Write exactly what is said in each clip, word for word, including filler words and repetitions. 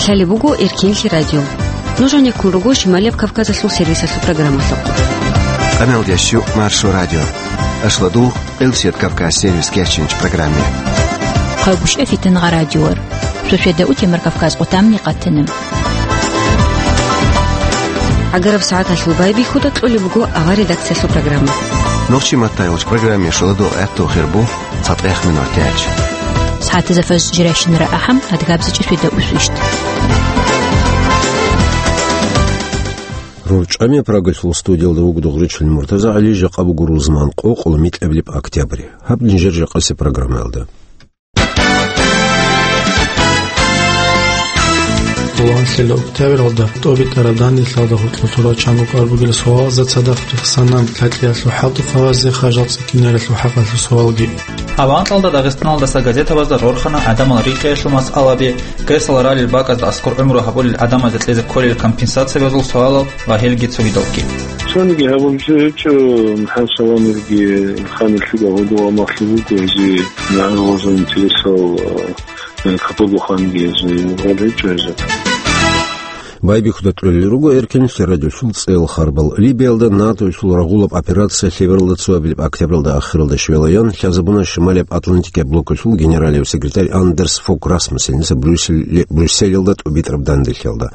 Лъалеб буго Эркенлъи радио. Нуж гьанеккун руго Шималияб Кавказалъул сервисалъул программалъухъ. Къаналдящу Маршо радио. Ашладул Элсет Кавказ сервис кечинч программе. Хъавбушев Фитангъа радиор. Суседа утемар Кавказ къутамни къатана. Агараб сагӀаталъул байбихьуда кьолеб буго авар редакциялъул программа. Нохчи маттайолч программе шоладо гӀатту хирбу цатӀех минутач. СагӀатазда фаз жирайщинара ахӀам, адгабзичӀи светда усвищт. РорчӀами Прагалъул студиялда вугода гъуричил Муртаза ГӀали, жакъа буго рузман къокъ, микьабилеб октябрь. Гьаб нижер жакъасе программаялда. Лугьанлъила октябралда тӀобитӀараб данделъалда гьоркьор турал чанго кӀвар бугел суалазда цадахъ рехсана лъакъиялъул хӀалтӀухъабазде хажал цӀикӀкӀинаралъул хӀакъалъул суалги. Авангалда Дагъистаналдаса газетабазда рорхана гӀадамал рикьиялъул масъалаби, гесал ралел бакӀазда аскӀор гӀумру гьабулел гӀадамазда кьезе кколел компенсациябазул суалал ва гьелги цогидалги. Цониги гьабулчӀо гьечӀо, МухӀамад Саламирги ханилъуга гьудул амалъи буго, гьезие нагӀар гъоза интересал, э, капурбуханги гьезие гьал гьечӀо гьезие. Байбихьуда кьолел руго Эркенлъи радиолъул цӀел харбал. Либиялда НАТОялъул рагъулаб операция лъебералда цоабилеб октябралда ахиралда щвелаян лъазабуна Шималияб Атлантикаяб блокалъул генералияв секретарь Андерс Фог Расмуссеница Брюссель-, Брюсселиялда тӀубитӀараб данделъиялда.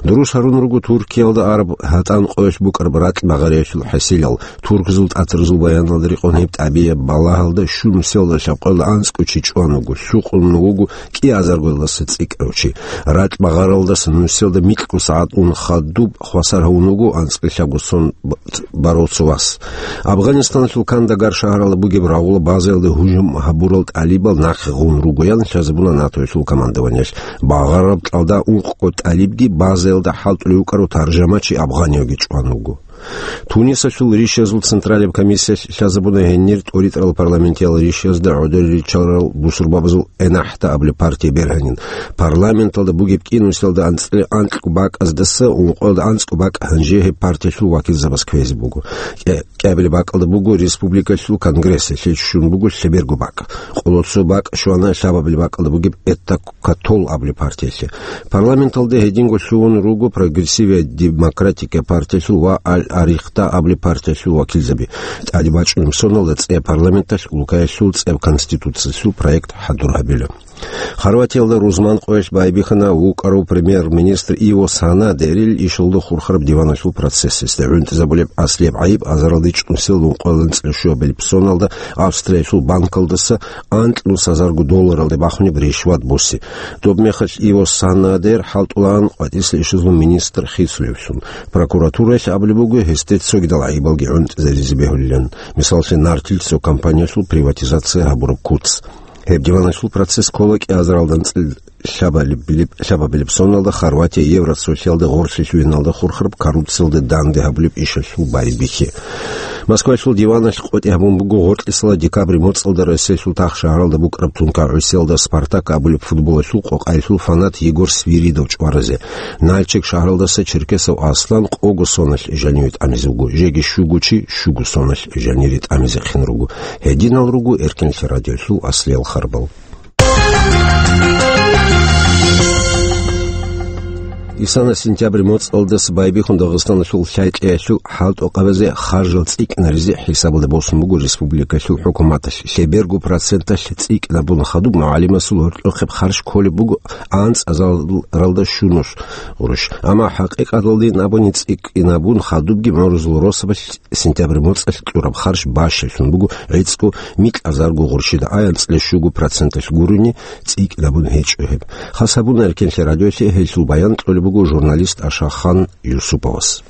Дурус гьарун руго Туркиялда араб гьатӀан къоялъ букӀараб ракь багъариялъул хӀасилал. Туркзул тӀатарзул баяналда рекъон гьеб тӀабияб балагьалда щун нусиялда лъабкъоялда анцӀго чи чӀван вуго, лъукъун вуго кӀиазаргоялдаса цӀикӀкӀарав чи. Ракь багъаралдаса нусиялда микьго сагӀат ун хадуб хвасар гьавун вуго анцӀкьлъабго сон б-, барав цо вас. Афганистаналъул Кандагар шагьаралда бугеб рагъула базаялда гьужум гьабурал тӀалибал нахъе гъун ругоян лъазабуна НАТОялъул командованиялъ. Багъараб кьалда ункъго тӀалибги базаялда хӀалтӀулев вукӀарав таржамачи афганиявги чӀван вуго. Тунисалъул ришазул централияб комиссиялъ лъазабуна гьенир тӀоритӀарал парламентиял ришазда гӀодор ричарал бусурбабазул ЭННАХТА абулеб партия бергьанин. Парламенталда бугеб кӀинусиялда анцӀила анкьго бакӀаздаса ункъоялда анцӀго бакӀ гьанже гьеб партиялъул вакилзабаз кквезе буго. КӀе-, кӀиабилеб бакӀалда буго республикалъул конгрессалъе, щун буго лъеберго бакӀ. Къоло цо бакӀ щвана лъабабилеб бакӀалда бугеб ЭТТА-КТОЛ абулеб партиялъе. Парламенталда гьединго лъугьун руго Прогрессивая демократика партиялъул ва Аль-Арихта абулеб партиялъул вакилзаби. ТӀадибачӀунеб соналда цӀе парламенталъ улкаялъул цӀеб конституциялъул проект хӀадур гьабила. Хорватиялда рузман къоялъ байбихьана вукӀарав премьер-министр Иво Санадерил ишалда хурхараб диваналъул процессалъе. ГӀунтӀизабулеб аслияб гӀайиб азаралда чӀунсел ункъоялда анцӀила щуабилеб соналда Австриялъул банкалдаса анкьнус гьазарго долларалде бахунеб ришват буси. Доб мехалъ Иво Санадер хӀалтӀулаан къватӀисла ишазул министр хисулевлъун. Прокуратураялъ абулеб буго, гьесде цогидал гӀайибалги гӀунтӀизаризе бегьулилан, мисаллъи, нартил цо компаниялъул приватизация гьабураб куц. Гьеб диваналъул процесс ккола кӀиазаралда анцӀила лъабабилеб, лъабабилеб соналда Хорватия Евросоюзалда гъорлъе лъугьиналда хурхараб коррупциялда данде гьабулеб ишалъул байбихьи. Москвалъул диваналъ къотӀи гьабун буго гъоркьисала декабрь моцӀалда Россиялъул тахшагьаралда букӀараб тункагӀусиялда «Спартак» абулеб футболалъул къокъаялъул фанат Егор Свиридов чӀваразе. Нальчик шагьаралдаса Черкесов Аслан къого соналъ жаниве тӀамизе вуго, жеги щуго чи щуго соналъ жанире тӀамизехъин руго. Гьединал руго Эркенлъи радиолъул аслиял харбал. Исана сентябрь моцӀалдаса байбихьун Дагъистаналъул лъай-кьеялъул хӀалтӀухъабазе харжал цӀикӀкӀинаризе хӀисабалда босун буго республикалъул хӀукуматалъ. Лъеберго проценталъ цӀикӀкӀинабун хадуб мугӀалимасул гьоркьохъеб харж кколеб буго анцӀазаралда щунус гъурущ. Амма хӀакъикъаталдин абуни цӀикӀкӀинабун хадубги мугӀрузул росабалъ сентябрь моцӀалъ кьураб харж бащалъун буго гӀицӀго микьазарго гъурщида, ай анцӀила щуго проценталъ гурони цӀикӀкӀинабун гьечӀо гьеб. Хас гьабуна Эркенлъи радиолъе, гьелъул баян кьолеб буго журналист Ашахан Юсуповас.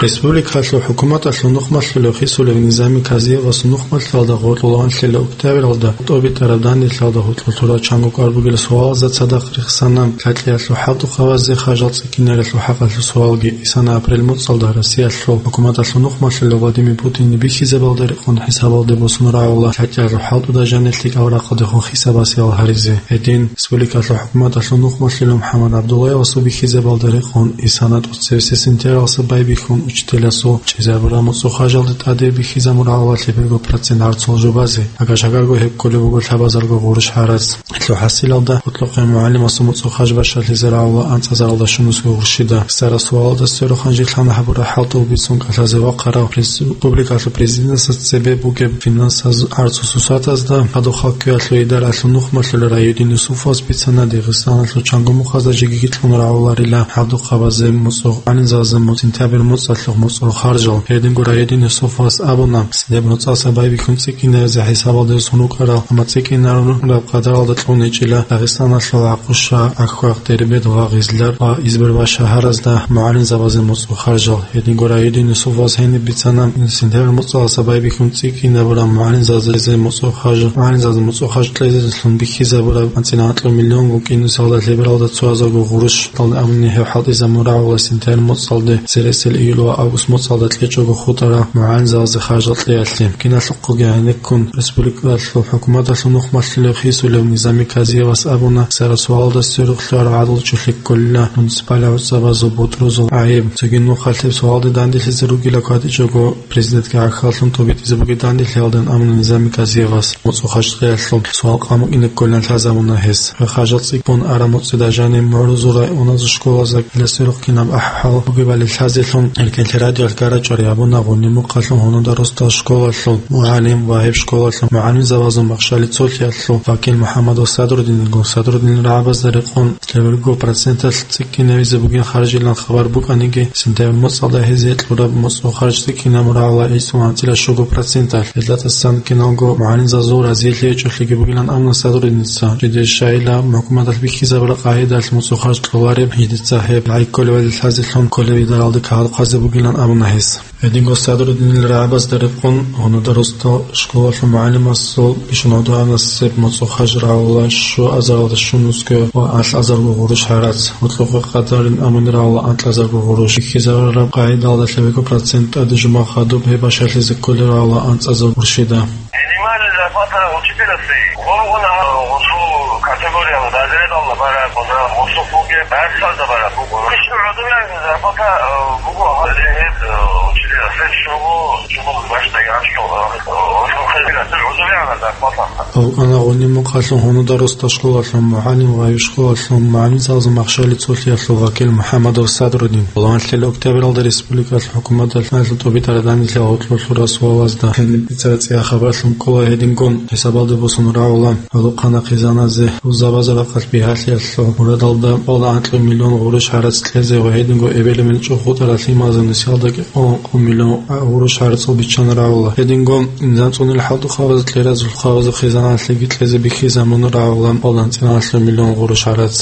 Республикалъул хӀукуматалъул нухмалъулев хисулев Низами Казиевасул нухмалъулда гъоркьулаанлъила октябралда тӀобитӀараб данделъалда гьоркьор турал чанго кӀвар бугел суалазда цадахъ рехсана лъакьиялъул хӀалтӀухъабазде харжал цӀикӀкӀинаралъул хӀакъалъул суалги. Исана апрель моцӀалда Россиялъул хӀукуматалъул нухмалъулев Владимир Путин бихьизабалда рекъон хӀисабалде босун рагӀула лъакьиялъул хӀалтӀуда жанир лъикӀал рахъалдехун хӀисабасеял гьаризе. Гьедин, республикалъул хӀукуматалъул нухмалъулев МухӀаммад ГӀабдуллаевасул бихьизабалда рекъон, Исана тӀоцевесеб сентябралдаса байбихьун, учителасул чӀезабураб муцӀул харжалде тӀаде бихьизабун рагӀула лъеберго процент гӀарцул жубазе, агар шагарго гьеб кколеб буго лъабазарго гъурущ гӀарац. Гьелъул хӀасилалда гьоркьохъе мугӀалимасул муцӀул харж бащалъизе рагӀула анцӀазаралда щунусго гъурщида. Сара суалалда сверухъан жирлъана гьабураб хӀалтӀу бицун кӀалъазе вахъарав республикалъул президентасда цебе бугеб финансаз гӀарцул сусатазда хадуб халкъиялъул идаралъул нухмалъулел Райдин Юсуповас бицана, Дагъистаналъул чанго мухъазда жеги кьун рагӀуларила гьабдухъабазе муцӀул гӀалимзабазда муц-, сентябрь муцӀалъухъ муцӀул харжал. Гьединго Райдин Юсуповас абуна, сентябрь муцӀалъа байбихьун цӀикӀкӀинаризе хӀисабалде сон рукӀарал, амма цӀикӀкӀинараб къадаралда кьун гьечӀила Дагъистаналъул Гьакъуша, Ахвахъ, Дербент ва Гъизлар ва Избербаш шагьаразда мугӀалимзабазе муцӀул харжал. Гьединго Райдин Юсуповас гьениб бицана, сентябрь муцӀалъа байбихьун цӀикӀкӀинабураб мугӀалимзабазе муцӀул харж, мугӀалимзабазе муцӀул харж кьезелъун бихьизабураб анцӀила анкьаб миллион вукӀин нусалда лъебералда цоязарго гъурущ, тӀалда амни гьеб хӀалтӀизабун рагӀула сентябрь муцӀалде, цересел июль ва август муцӀалда кьечӀого хутӀараб мугӀалимзабазе харжал кьеялъе. Киналъухъ Гьанеккун республикалъул хӀукуматалъул нухмалъулев хисулев Низами Казиевас абуна, сара суалалда сверухълъарал гӀадал чӀухӀи кколила муниципалил гӀуцӀабазул бутӀрузул гӀайиб. Цоги нухалъеб суалалде данделъизе ругила кватӀичӀого президентги гӀахьаллъун тӀубитӀизе бугеб данделъиялдан абуна Низами Казиевас. МуцӀул харж кьеялъул суал къамукӀине кколилан лъазабуна гьес. Харжал цӀикӀкӀун араб муцӀида жаниб мугӀрузул районазул школазда кӀалъазе рухъ кинаб ахӀвал бугебали лъазелъун, гьелкеллъи радиоялъ гьарачӀари гьабуна Гъуниб мухъалъул Гьунуда росдал школалъул мугӀалим ва гьеб школалъул мугӀалимзабазул махщали цолъиялъул вакил МухӀаммадов Садрудиниго. Садрудинил рагӀабазда рекъон лъеберго проценталъ цӀикӀкӀинавизе бугин харжилан хабар букӀаниги, сентябрь муцӀалда гьезие кьураб муцӀул харж цӀикӀкӀинабун рагӀула гӀицӀго анцӀила щуго проценталъ. Гьелдасан киналго мугӀалимзабазул разиялъе гьечӀолъиги бугилан абуна Садрудиница. Жидер щайила, хӀукуматалъ бихьизабураб къагӀидалъ муцӀул харж кьолареб, гьединго гьеб гӀайиб кколебали лъазелъун кколеб идаралде кагъадухъазе бугилан абуна гьес. Гьединго Садрудинил рагӀабазда рекъон Гьунуда росдал школалъул мугӀалимасул бищун гӀодобе анасеб муцӀул харж рагӀула щуазаралда щунусго ва анлъазарго гъурущ гӀарац. Гьоркьохъе къадарин амунел рагӀула анкьазарго гъурущ. Бихьизабураб къагӀидалда лъеберго процент тӀаде жума хадуб гьеб бащалъизе кколел рагӀула анцӀазарго гъурщида. Минимальная зарплата учителя гъоргъуна гъосул категорияла разрядалда бараб, гъосул бугеб дарсалда бараб буго. Бищун гӀодобе зарплата, э, буго гьале гьеб, э, учителя, щуго, щуго башдаги гьанчо, э, гъосул хезегатил гӀодобе зарплата. Алкана Гъуниб мухъалъул Гьунуда росдал школалъул мугӀалим ва гьеб школалъул мугӀалимзабазул махщали цолъиялъул вакил МухӀаммадов Садрудин. Балагьанлъи октябралда республикалъул хӀукуматалъ гьалъул тӀубитӀараб данделъи гьоркьорлъура суалазда гьениб бицараб цӀеяхъабалъун ккола гьедингун хӀисабалде босун рагӀула гьалухъана хъизаназе рузабазул рахъалъ бигьалъиялъул мурадалда балда анкьаб миллион гъурущ гӀарац кьезе ва гьединго эбел-эмен чӀухӀутӀарал лъималазул нусиялда кӀикъоялда анкьаб миллион гъурущ гӀарацал биччан рагӀула. Гьединго низам цӀунил хӀалтӀухъабазул, кьеразул хъабазул хъизаналъеги кьезе бихьизабун рагӀула балда анцӀила анлъаб миллион гъурущ гӀарац.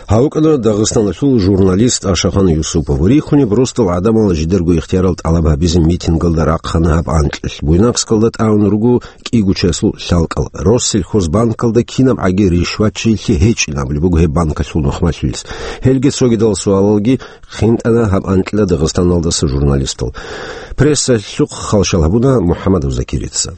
Гьав вукӀана Дагъистаналъул журналист Ашахан Юсупов. Рихунеб росдал гӀадамал жидерго ихтиярал тӀалаб гьабизе митингалда рахъана гьаб анкьилъ. Буйнакскалда тӀагӀун руго кӀиго чиясул лъалкӀал. Россельхозбанкалда кинабгӀаги ришватчилъи гьечӀин абулеб буго гьеб банкалъул нухмалъулес. Гьелги цогидал суалалги хинтӀана гьаб анкьила Дагъистаналдаса журналистал. Прессалъухъ халщал гьабуна МухӀаммадов Закирица.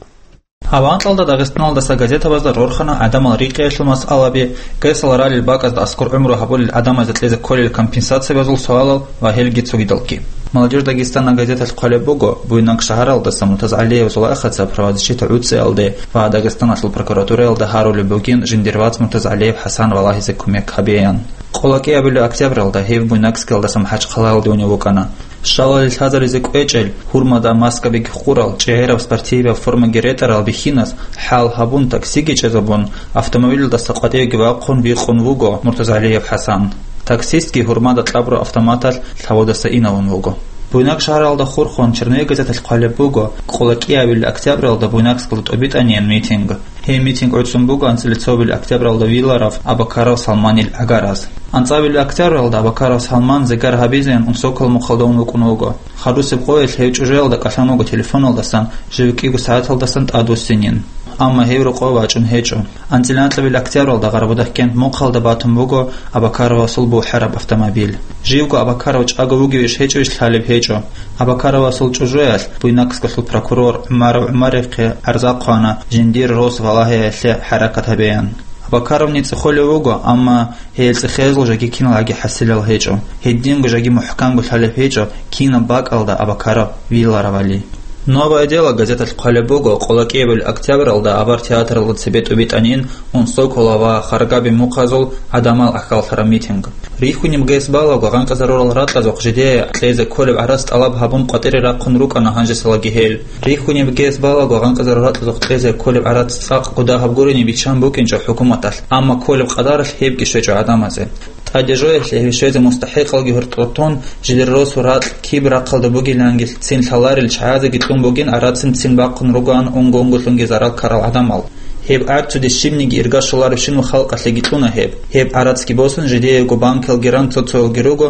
Гьаб анкьалда Дагъистаналдаса газетабазда рорхана гӀадамал рикӀкӀиялъул масъалаби, гесал ралел бакӀазда аскӀор гӀумру гьабулел гӀадамазда кьезе кколел компенсациябазул суалал ва гьелги цогидалги. «Молодёжь Дагестана» газеталъ хъвалеб буго, Буйнакск шагьаралдаса МуртазгӀалиевасул ахицаб правозащита гӀуцӀиялде ва Дагъистаналъул прокуратураялда гьарулеб бугин жиндир вац МуртазгӀалиев ХӀасан валагьизе кумек гьабеян. Къоло кӀиабилеб октябралда гьев Буйнакскалдаса МахӀачхъалаялде унев вукӀана. Щалалил лъазаризе кӀвечӀел, гьурмада маскабиги хъурал, чӀегӀераб спортивияб формаги ретӀарал бихьинас хӀал гьабун, таксиги чӀезабун, автомобилалдаса къватӀивеги вахъун викъун вуго МуртазгӀалиев ХӀасан. Таксистги гьурмада кьабураб автоматалъ лъаводаса инавун вуго. Буйнакск шагьаралда хурхун «Черновик» газеталъ хъвалеб буго, къоло кӀиабилеб октябралда Буйнакскалда тӀубитӀаниян митинг. Гьеб митинг гӀуцӀун буго анцӀила цоабилеб октябралда виларав Абакаров Салманил гӀагараз. АнцӀабилеб октябралда Абакаров Салман зигар гьабизеян Унсокал мухъалда ун вукӀун вуго. Харусеб къоялъ гьев чӀужуялда кӀалъан вуго телефоналдасан жив кӀиго сагӀаталдасан тӀадвуссинин. Амма гьев рокъов вачӀун гьечӀо. АнцӀила анкьабилеб октябралда Гъарбудахкент мухъалда батун буго Абакаровасул бухӀараб автомобиль. Живго Абакаров чӀаго вугевищ гьечӀевищ лъалеб гьечӀо. Абакаровасул чӀужуялъ Буйнакскалъул прокурор ГӀумаров ГӀумарихъе гӀарза хъвана, жиндир рос валагьиялъе хӀаракат гьабеян. Бакаровни цӀехолев вуго, амма гьел цӀехезул жаги киналгӀаги хӀасилал гьечӀо. Гьединго жаги мухӀканго лъалеб гьечӀо, кинаб бакӀалда Абакаров виларавали. «Новое дело» газеталъ хъвалеб буго, къоло кӀиабилеб октябралда Абар театралда цебе тӀубитӀанин Унсокола ва Харгаби мухъазул гӀадамал ахьаллъараб митинг. Рихьунеб гьес балаго, гъанкъизарурал ракьазухъ жидее кьезе кколеб гӀарац тӀалаб гьабун къватӀире рахъун рукӀана гьанжесалаги гьел. Рихьунеб гьес балаго, гъанкъизарурал ракьазухъ кьезе кколеб гӀарац цӀакъ гуда гьаб гурин биччан букӀинчӀо хӀукуматалъ, амма кколеб къадаралъ гьебги щвечӀо гӀадамазе. ТӀаде жоялъе гьеб щвезе мустахӀикъалги гьоркьотун, жидер росу ракь киб рахъалда бугилангицин лъаларел чагӀазеги кьун бугин, гӀарацин ццин бахъун ругоан унго-унголъунги зарал ккарал гӀадамал. Гьеб гӀарцуде щибниги ирга щоларебщинал халкъалъеги кьуна гьеб. Гьеб гӀарацги босун, жидеего банкалги ран цо-цоялги руго,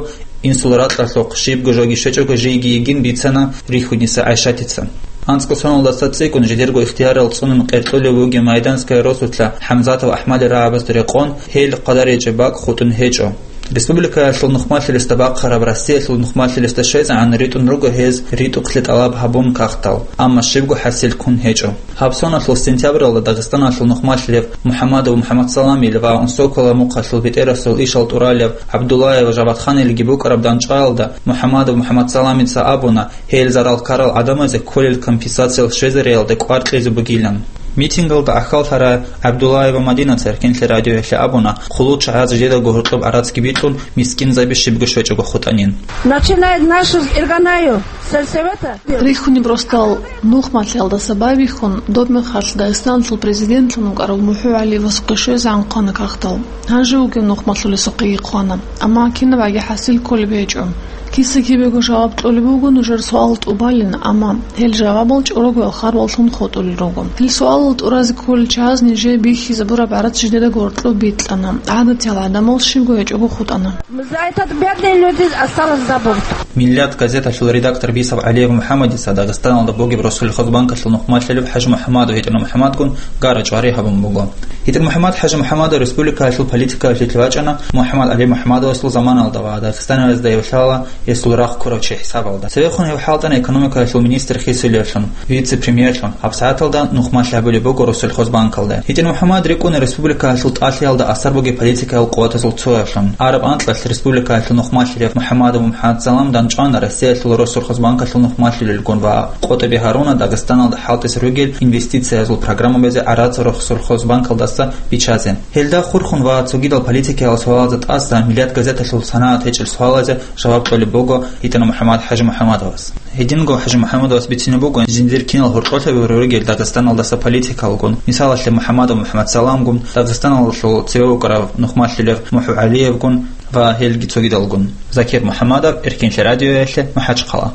инсул ракьалъухъ щибго жоги щвечӀого жийги йигин бицана Рихьуниса ГӀайшатица. АнцӀго соналдаса цӀикӀкӀун жидерго ихтиярал цӀунун къеркьулев вугев Майданская росулъа ХӀамзатов АхӀмадил рагӀабазда рекъон, гьел хъвадаричӀеб бакӀ хутӀун гьечӀо. Республикаялъул нухмалъилесда бахъараб Россиялъул нухмалъилесда щвезегӀан ритӀун руго гьез ритӀухълъи тӀалаб гьабун кагътал, амма щибго хӀасил ккун гьечӀо. Гьаб соналъул сентябралда Дагъистаналъул нухмалъилев МухӀамадов МухӀамадсаламил ва Унсокола мухъалъул бетӀерасул ишал тӀуралев ГӀабдуллаев Жавадханилги букӀараб дандчӀваялда МухӀамадов МухӀамадсаламица абуна, гьел зарал ккарал гӀадамазе кколел компенсациялъ щвезариялда кӀвар кьезе бугилан. Митингалда ахьаллъарай ГӀабдуллаева Мадинаца Эркенлъи радиоялъе абуна, хъулул чагӀаз жидедаго гьоркьоб гӀарацги бикьун, мискинзаби щибго щвечӀого хутӀанин. Начинает нашу с Ирганаю, сельсовета. Рихьунеб росдал нухмалъиялдаса байбихьун, доб мехалъ Дагъистаналъул президентлъун вукӀарав МухӀу ГӀалиевасухъе щвезегӀан хъвана кагътал. Гьанже вугев нухмалъулесухъеги хъвана, амма кинаб гӀаги хӀасил кколеб гьечӀо. Киса-кибего жаваб кьолеб буго нужер суалал тӀубалин, амма гьел жавабал чӀорогоял харбаллъун хутӀулел руго. Гьел суалал тӀуразе кколел чагӀаз нижее бихьизабураб гӀарац жидедаго гьоркьоб бикьана, гӀадатиял гӀадамал щибго гьечӀого хутӀана. За этот бедный люди осталось забыт. «Миллат» газеталъул редактор бисаб ГӀалиев МухӀамадица Дагъистаналда бугеб Россельхозбанкалъул нухмалъилев ХӀажимухӀамадов ГьитӀинмухӀамадгун гара-чӀвари гьабун буго. ГьитӀинмухӀамад ХӀажимухӀамадов республикаялъул политикаялъе вачӀана МухӀамад ГӀали МухӀамадовасул заманалда ва Дагъистанализда эвлъала гьесул рахъ ккурав чи хӀисабалда. Цевехун гьев хӀалтӀана экономикаялъул министр хисулевлъун, вице-премьерлъун. ГьабсагӀаталда нухмалъи гьабулеб буго Россельхозбанкалда. ГьитӀинмухӀамад рикӀкӀуна республикаялъул тӀалъиялда асар бугеб политикаял къуватазул цоялъун. Араб анкьалъ республикаялъул нухмалъилев МухӀамадов МухӀамадсалам дандчӀвана Россиялъул Россельхозбанкалъул нухмалъилелгун ва КъотӀиби гьаруна Дагъистаналда хӀалтӀизе ругел инвестициязул программабазе гӀарац Россельхозбанкалдаса биччазе. Гьелда хурхун ва цогидал политикиял суалазда тӀаса «Миллат» газеталъул санагӀат гьечӀел суалазе жаваб кьолеб буго ГьитӀинмухӀамад ХӀажимухӀамадовас. Гьединго ХӀажимухӀамадовас бицине буго жиндир кинал гьоркьолъаби ругел Дагъистаналдаса политикалгун, мисалалъе, МухӀамадов МухӀамадсаламгун, Дагъистаналъул цеве вукӀарав нухмалъилев МухӀу ГӀалиевгун ва гьелги цогидалгун. Закир МухӀамадов, Эркенлъи радиоялъе, МахӀачхъала.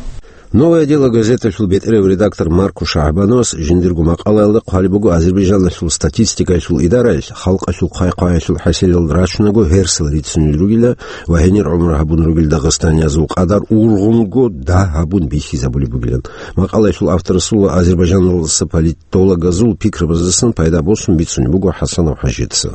«Новое дело» газеталъул бетӀерав редактор Марко Шагьбановас жиндирго макъалаялда хъвалеб буго Азербайджаналъул статистикаялъул идараялъ халкъалъул хъвай-хъваялъул хӀасилал рачунаго гьерсал рицунел ругила ва гьенир гӀумру гьабун ругел дагъистаниязул къадар ургъунго дагь гьабун бихьизабулеб бугилан. Макъалаялъул авторасул ва азербайджаналдаса политологазул пикрабаздасан пайда босун бицунеб буго ХӀасанов ХӀажица.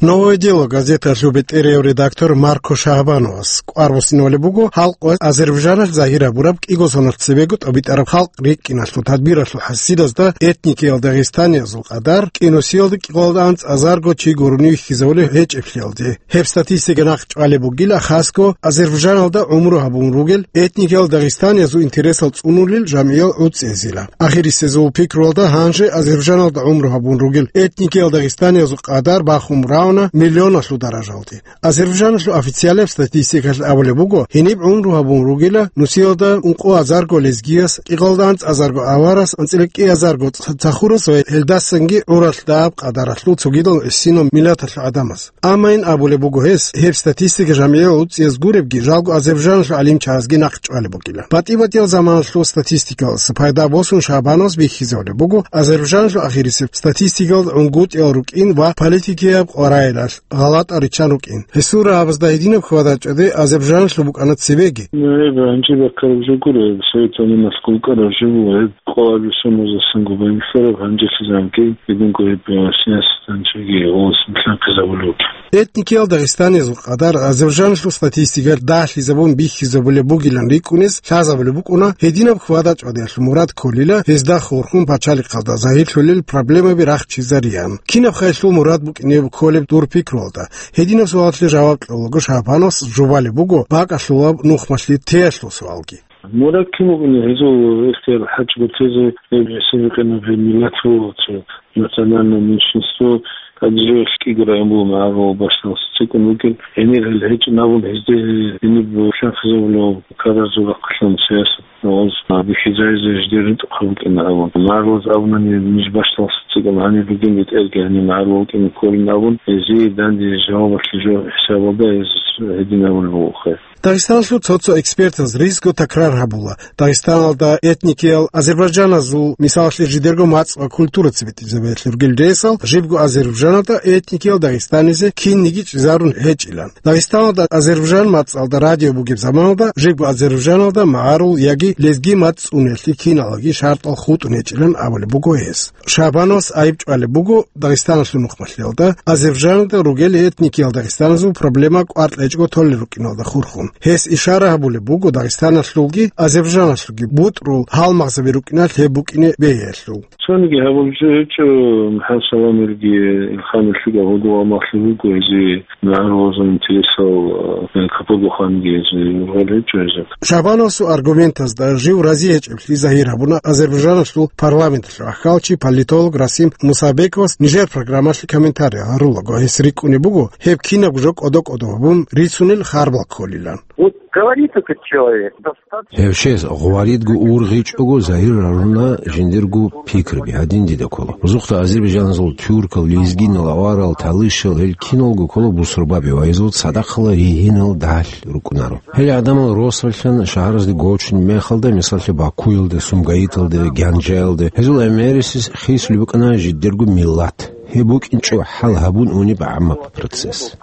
«Новое дело» газеталъул бетӀерав редактор Марко Шагьбановас кӀвар буссинабулеб буго халкъ ва Азербайджаналъ загьир гьабураб кӀиго соналъ цебего тӀубитӀараб халкъ рикӀкӀиналъул тадбиралъул хӀасилазда этникиял дагъистаниязул къадар кӀинусиялда кӀикъоялда анцӀазарго чи гурони вихьизабулеб гьечӀеблъиялде. Гьеб статистика нахъ чӀвалеб бугила хасго Азербайджаналда гӀумру гьабун ругел этникиял дагъистаниязул интересал цӀунулел жамгӀиял гӀуцӀиязила. Ахирисезул пикруялда гьанже Азербайджаналда гӀумру гьабун ругел этникиял дагъистаниязул къадар бахун равна миллионалъул даражалде. Азербайджаналъул официалияб статистикалъ абулеб буго, гьениб гӀумру гьабун ругила нусиялда ункъо азарго лезгияс, кӀикъоялда анцӀазарго аварас, анцӀила кӀиазарго ц-, цахурас ва гьелдасанги гӀуралъ дагьаб къадаралъул цогидал гӀисинал миллаталъул гӀадамаз. Амма ин абулеб буго гьес, гьеб статистика жамгӀиял гӀуцӀияз гуребги, жалго Азербайджаналъул гӀалимчагӀазги нахъ чӀвалеб бугила. БатӀи-батӀиял заманалъул статистикалъ пайда босун Шагьбановас бихьизабулеб буго Азербайджаналъул ахирисеб статистикал гӀунгутӀиял рукӀин ва политикияб къваригӀелалъ гъалатӀал риччан рукӀин. Гьесул рагӀабазда гьединаб хьвада-чӀвади Азербайджаналъул букӀана цебеги. Ну, гьеб гьанже баккараб жо гуро, гьеб Советуни малъ ккараб жо буго, гьеб къвалаби сумузасан губайнлъараб гьанжелъизанги, гьединго гьеб, э, сняс Гьанжеги гъос милан хъизабулев. Этникиял дагъистанизул къадар Азербайджаналъул статистикаялъ дагьлъизабун бихьизабулеб бугилан рикӀкӀунез лъазабулеб букӀуна гьединаб хьвада-чӀвадиялъул мурад кколила гьезда хурхун пачалихъалда загьирлъулел проблемаби рахчизариян. Кинаб хъалилъул мурад букӀинеб кколеб дур пикруялда? Гьединаб суалалъе жаваб кьолаго Шагьбановас жубалеб буго бакӀалъулаб нухмалъи теялъул суалги. Мурад кин вугони гьезул ихтияр хӀач гуртезе, гьеб гьесие бикъинаб гьеб миллат вуго, цо национальное меньшинство, тӀаде жо кӀиго район буго магӀарулал бащдалъ цӀикӀкӀун вугел, гьенир гьел гьечӀин абун гьезде гьениб лъанхъизабулев карарзул рахъалъан сиясат гъоз бихьизаризе жидер ритӀухъ букӀина абун. МагӀарулаз абунани ниж бащдалъ цӀикӀкӀун гьанир ругин бетӀерги гьанир магӀарулал кӀине кколин абун, гьезие данде жавабалъе жо хӀисабалда гьез гьедин абулеб буго хъе. Дагъистаналъул цо-цо экспертаз ризго такрар гьабула, Дагъистаналда этникиял азербайджаназул, мисалалъе, жидерго мацӀ ва культура цебетӀизабиялъе ругел ресал, жибго Азербайджаналда этникиял дагъистанизе кинниги чӀезарун гьечӀилан. Дагъистаналда азербайджан мацӀалда радио бугеб заманалда жибго Азербайджаналда магӀарул яги лезги мацӀ цӀуниялъе киналги шартӀал хутӀун гьечӀилан абулеб буго гьес. Шагьбановас айиб чӀвалеб буго Дагъистаналъул нухмалъиялда, Азербайджаналда ругел этникиял дагъистаназул проблема кӀвар кьечӀого толел рукӀиналда хурхун. Гьес ишара гьабулеб буго Дагъистаналъулги Азербайджаналъулги бутӀрул гьалмагъзаби рукӀиналъ гьеб букӀине бегьиялъул. Цониги гьабулеб жо гьечӀо, МухӀаммад Саламилги Илхамилъиги гьудул амалъи буго гьезие. МагӀарулазул интересал, э, капурбуханги гьезие ургъел гьечӀо гьезда. Шагьбановасул аргументазда жив рази гьечӀеблъи загьир гьабуна Азербайджаналъул парламенталъул ахьалчи политолог Расим Мусабековас нижер программалъе комментарий гьарулаго. Гьес рикӀкӀунеб буго гьеб кинабго жо кӀодо-кӀодо гьабун рицунел харбал кколилан. Вот говорит этот человек, достаточно. Гьев чияс гъваридго ургъичӀого загьир гьаруна жиндирго пикраби, гьадин дида ккола. Рузухъда азербайджаназул, тюркал, лезгинал, аварал, талишал, гьел киналго ккола бусурбаби ва гьезул цадахъала ригьинал дагь рукӀунаро. Гьел гӀадамал росалъан шагьаразде гочун мехалда, мисаллъи, Бакуялде, Сумгаиталде, Гянжаялде, гьезул гӀемерисез хисулеб букӀана жидерго миллат. Гьеб букӀинчӀо хӀал гьабун унеб гӀаммаб процесс.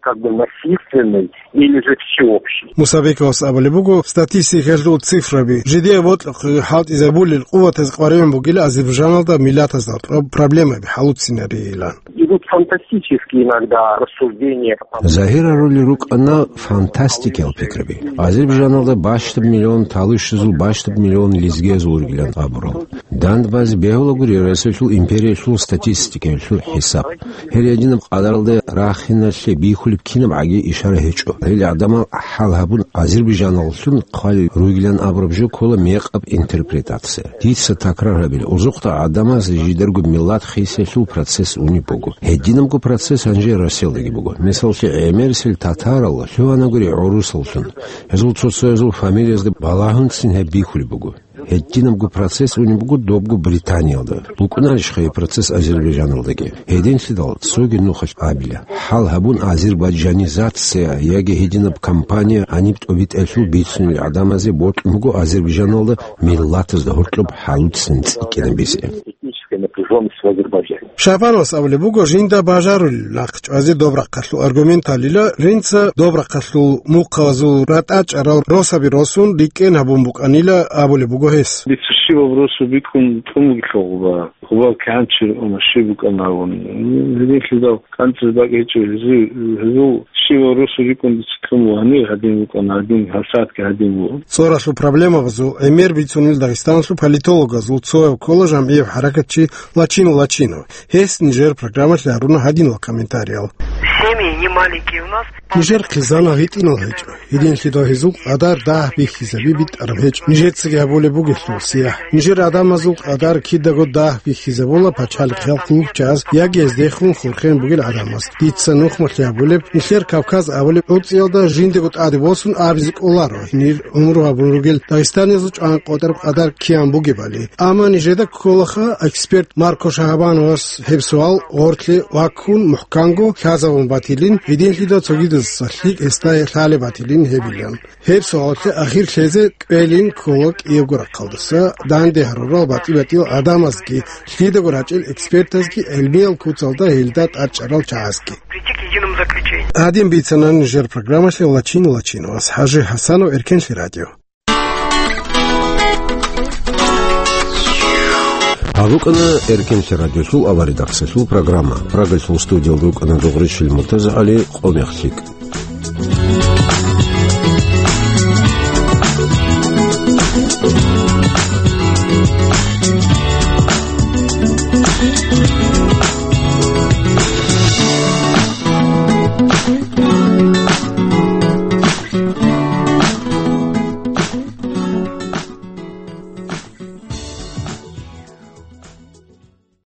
Как бы насильственный или же всеобщий. Мусабековас абулеб буго, статистикалъул цифраби жидее бокьухъе хӀалтӀизабулел къуватаз къваригӀун бугила Азербайджаналда миллатазда гьоркьоб проблемаби хӀалуцинарейилан. Идут фантастические иногда рассуждения. Загьир гьарулел рукӀана фантастикиял пикраби. Азербайджаналда бащдаб миллион талишазул, бащдаб миллион лезгиязул ругилан абурал. Дандбазе бегьулагури Россиялъул империялъул статистикаялъул хӀисаб. Гьел гьединаб къадаралда рахиналъе бихьулеб кинаб гӀаги ишара гьечӀо. Гьел гӀадамал хӀал гьабун, Азербайджаналлъун хъвалел ругилан абураб жо ккола мекъаб интерпретация. Дица такрар гьабила, узухъда гӀадамаз жидарго миллат хисиялъул процесс унеб буго. Гьединабго процесс гьанже Россиялдаги буго. Мисаллъи, гӀемерисел татарал лъугьанагури гӀурусаллъун. Гьезул цо-цоязул фамилиязда балагьунцин гьеб бихьулеб буго. Гьединабго процесс унеб буго добго Британиялда. БукӀунарищха гьеб процесс Азербайджаналдаги? Гьединлъидал цоги нухалъ абила. ХӀал гьабун, азербайджанизация яги гьединаб кампания гьаниб тӀобитӀелъул бицунел гӀадамазе бокьун буго Азербайджаналда миллатазда гьоркьоб хӀалуцин цӀикӀкӀинабизе. Этническая напряжённость в Азербайджане. Шагьбановас абулеб буго, жинда бажарулел нахъ чӀвазе доб рахъалъул аргументалила, жинца доб рахъалъул мухъазул ратӀа чӀарал росаби росун рикӀкӀен гьабун букӀанила абулеб буго гьес. Дица щибаб росу бикӀун тӀун бугелъул гъуба, гъубал кигӀан чи ругони щиб букӀана абун. Гьединлъидал кӀанцӀизе бакӀ гьечӀо гьезул, гьезул щибаб росу рикӀкӀун дица тӀун буго, гьанир гьадин букӀана, гьадин, гьабсагӀатги гьадин буго. ЦӀоралъул проблемабазул гӀемер бицунел Дагъистаналъул политологазул цояв ккола жамгӀияв хӀаракатчи Лачинов Лачинов. Гьес нижер программалъе гьаруна гьадинал комментариял. Семьи не маленькие у нас. Нижер хъизан гьитӀинал гьечӀо. Гьединлъидал гьезул къадар дагь бихьизаби битӀараб гьечӀо. Нижецаги гьабулеб бугелъул сияхӀ. Нижер гӀадамазул къадар кидаго дагь бихьизабула пачалихъ хӀалхьул чаз яги гьездехун хурхен бугел гӀадамаз. Дица нухмалъи гьабулеб, нилъер Кавказ абулеб гӀурцӀиялда жиндего тӀаде босун абизе кӀоларо, гьенир гӀумру гьабун ругел дагъистанизул чӀван къотӀараб къадар киян бугебали. Амма нижеда кколаха эксперт Марко Шагьбановас гьеб суал гъорлъе ваккун мухӀканго лъазабун батилин, гьединлъидал цогидазаса лъикӀ гьесда лъалеб батилин гьебилан. Гьеб суалалъе ахир лъезе кӀвелин ккола кӀиябго рахъалдаса данде гьарурал батӀи-батӀиял гӀадамазги, лъидаго рачӀел экспертазги, гӀелмиял куцалда гьелда тӀадчӀарал чагӀазги. Прийти к единому заключению. Гьадин бицана нижер программалъе Лачин Лачиновас. ХӀажи ХӀасанов, Эркенлъи радио. Гьаб букӀана Эркенлъи радиолъул аваридахъсалъул программа. Прагалъул студиялда рукӀана Дугъришил МуртазагӀали, Къо-мех лъикӀ.